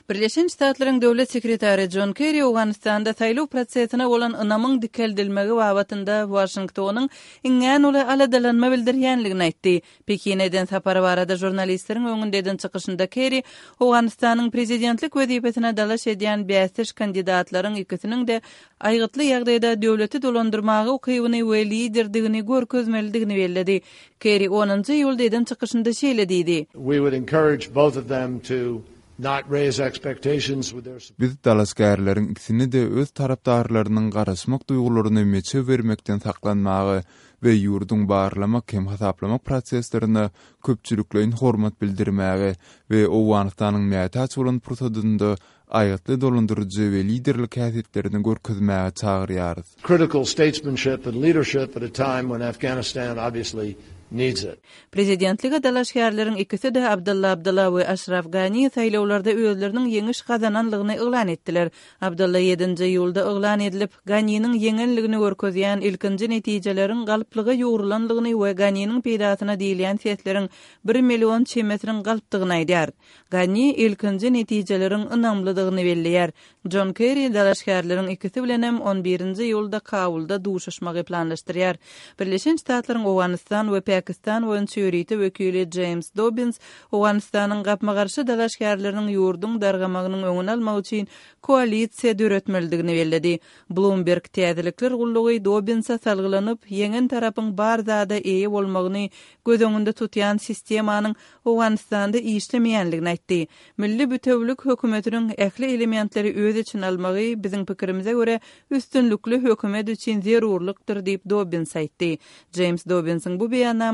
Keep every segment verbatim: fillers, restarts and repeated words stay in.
Birleşen Ştatlaryň Döwlet sekretary Jon Kerri Owganystanda saýlaw prosesine bolan ynamyň dikeldilmegi babatynda Waşingtonyň iňňän uly aladalanma bildirýänligini aýtdy. Pekine eden sapary barada žurnalistleriň öňünde eden çykyşynda Kerri Owganystanyň prezidentlik wezipesine dalaş edýän bäsdeş kandidatlaryň ikisiniň-de aýgytly ýagdaýda döwleti dolandyrmaga ukybyny we liderdigini görkezmelidigini belledi. Kerri onunjy iýulda eden çykyşynda şeýle diýdi. We would encourage both of them to not raise expectations with their Biz dalaşgärleriň ikisini-de öz tarapdarlarynyň garaşmak duýgularyny meçew bermekden saklanmaga we ýurduň barlamak hem hasaplamak proseslerine köpçülikleýin hormat bildirmäge we Owganystanyň mätäç bolan pursadynda aýgytly dolandyryjy we liderlik häsiýetlerini görkezmäge çagyrýarys. Critical statesmanship and leadership at a time when Afghanistan obviously needs it. Prezidentlige dalaşgärleriň ikisi-de Abdylla Abdylla we Aşraf Gani saýlawlarda özleriniň ýeňiş gazananlygyny yglan etdiler. Abdylla ýedinji iýulda yglan edilip, Ganiniň ýeňenligini görkezýän ilkinji netijeleriň galplyga ýugrulanlygyny we Ganiniň peýdasyna diýilýän sesleriň bir million çemesiniň galpdygyny aýdýar. Gani ilkinji netijeleriň ynamlydygyny belleýär. Jon Kerri dalaşgärleriň ikisi bilenem on birinji iýulda Kabulda duşuşmagy planlaşdyrýar. Birleşen Ştatlaryň Owganystan we Pakistan boýunça ýörite wekili James Dobbins Owganystanyň gapma-garşy dalaşgärleriniň ýurduň dargamagynyň öňüni almak üçin koalisiýa döretmelidigini belledi. Bloomberg täzelikler gullugy Dobbinse salgylanyp, ýeňen tarapyň bar zada eýe bolmagyny göz öňünde tutýan sistemanyň Owganystanda işlemeýänligini aýtdy. Milli bütewlik hökümetiniň ähli elementleri öz içine almagy biziň pikirimize görä üstünlikli hökümet üçin zerurlykdyr diýip Dobbins aýtdy. James Dobbinsiň bu beýannamasy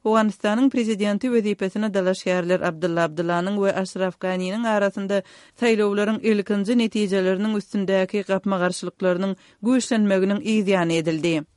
Owganystanyň prezidenti wezipesine dalaşgärler Abdylla Abdyllanyň we Aşraf Ganiniň arasynda saýlawlaryň ilkinji netijeleriniň üstündäki gapma-garşylyklarynyň güýçlenmeginiň yzýany edildi.